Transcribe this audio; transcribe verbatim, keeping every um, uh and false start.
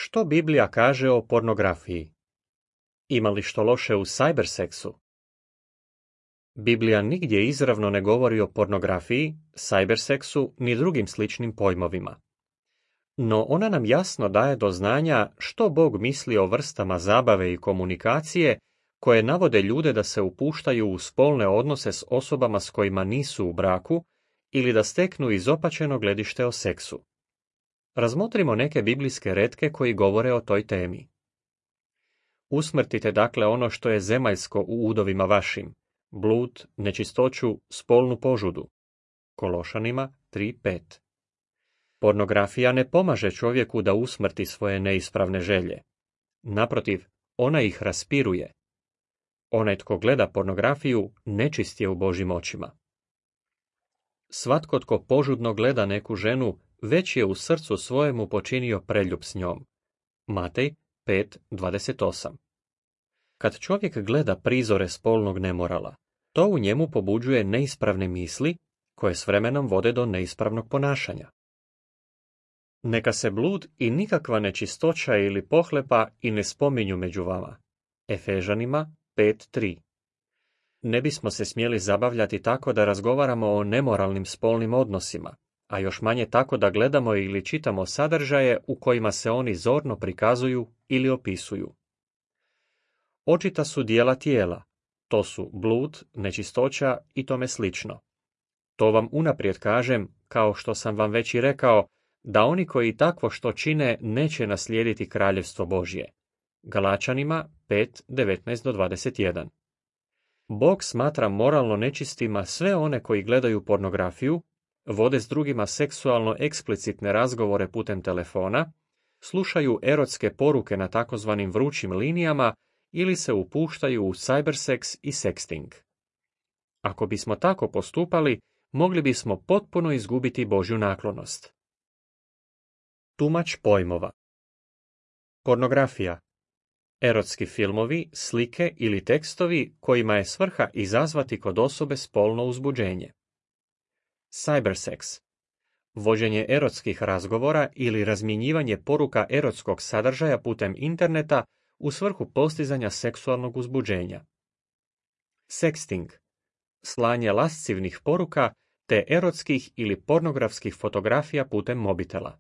Što Biblija kaže o pornografiji? Ima li što loše u cyberseksu? Biblija nigdje izravno ne govori o pornografiji, cyberseksu ni drugim sličnim pojmovima. No ona nam jasno daje do znanja što Bog misli o vrstama zabave i komunikacije koje navode ljude da se upuštaju u spolne odnose s osobama s kojima nisu u braku ili da steknu izopačeno gledište o seksu. Razmotrimo neke biblijske retke koji govore o toj temi. Usmrtite dakle ono što je zemaljsko u udovima vašim, blud, nečistoću, spolnu požudu. Kološanima tri pet. Pornografija ne pomaže čovjeku da usmrti svoje neispravne želje. Naprotiv, ona ih raspiruje. Onaj tko gleda pornografiju nečist je u Božjim očima. Svatko tko požudno gleda neku ženu, već je u srcu svojemu počinio preljub s njom. Matej pet dvadeset osam. Kad čovjek gleda prizore spolnog nemorala, to u njemu pobuđuje neispravne misli, koje s vremenom vode do neispravnog ponašanja. Neka se blud i nikakva nečistoća ili pohlepa i ne spominju među vama. Efežanima pet tri. Ne bismo se smjeli zabavljati tako da razgovaramo o nemoralnim spolnim odnosima, a još manje tako da gledamo ili čitamo sadržaje u kojima se oni zorno prikazuju ili opisuju. Očita su dijela tijela, to su blud, nečistoća i tome slično. To vam unaprijed kažem, kao što sam vam već i rekao, da oni koji takvo što čine neće naslijediti kraljevstvo Božje. Galačanima pet devetnaest do dvadeset jedan. Bog smatra moralno nečistima sve one koji gledaju pornografiju, vode s drugima seksualno eksplicitne razgovore putem telefona, slušaju erotske poruke na takozvanim vrućim linijama ili se upuštaju u cyberseks i sexting. Ako bismo tako postupali, mogli bismo potpuno izgubiti Božju naklonost. Tumač pojmova. Pornografija. Erotski filmovi, slike ili tekstovi kojima je svrha izazvati kod osobe spolno uzbuđenje. Cyberseks. Vođenje erotskih razgovora ili razmjenjivanje poruka erotskog sadržaja putem interneta u svrhu postizanja seksualnog uzbuđenja. Sexting. Slanje lascivnih poruka te erotskih ili pornografskih fotografija putem mobitela.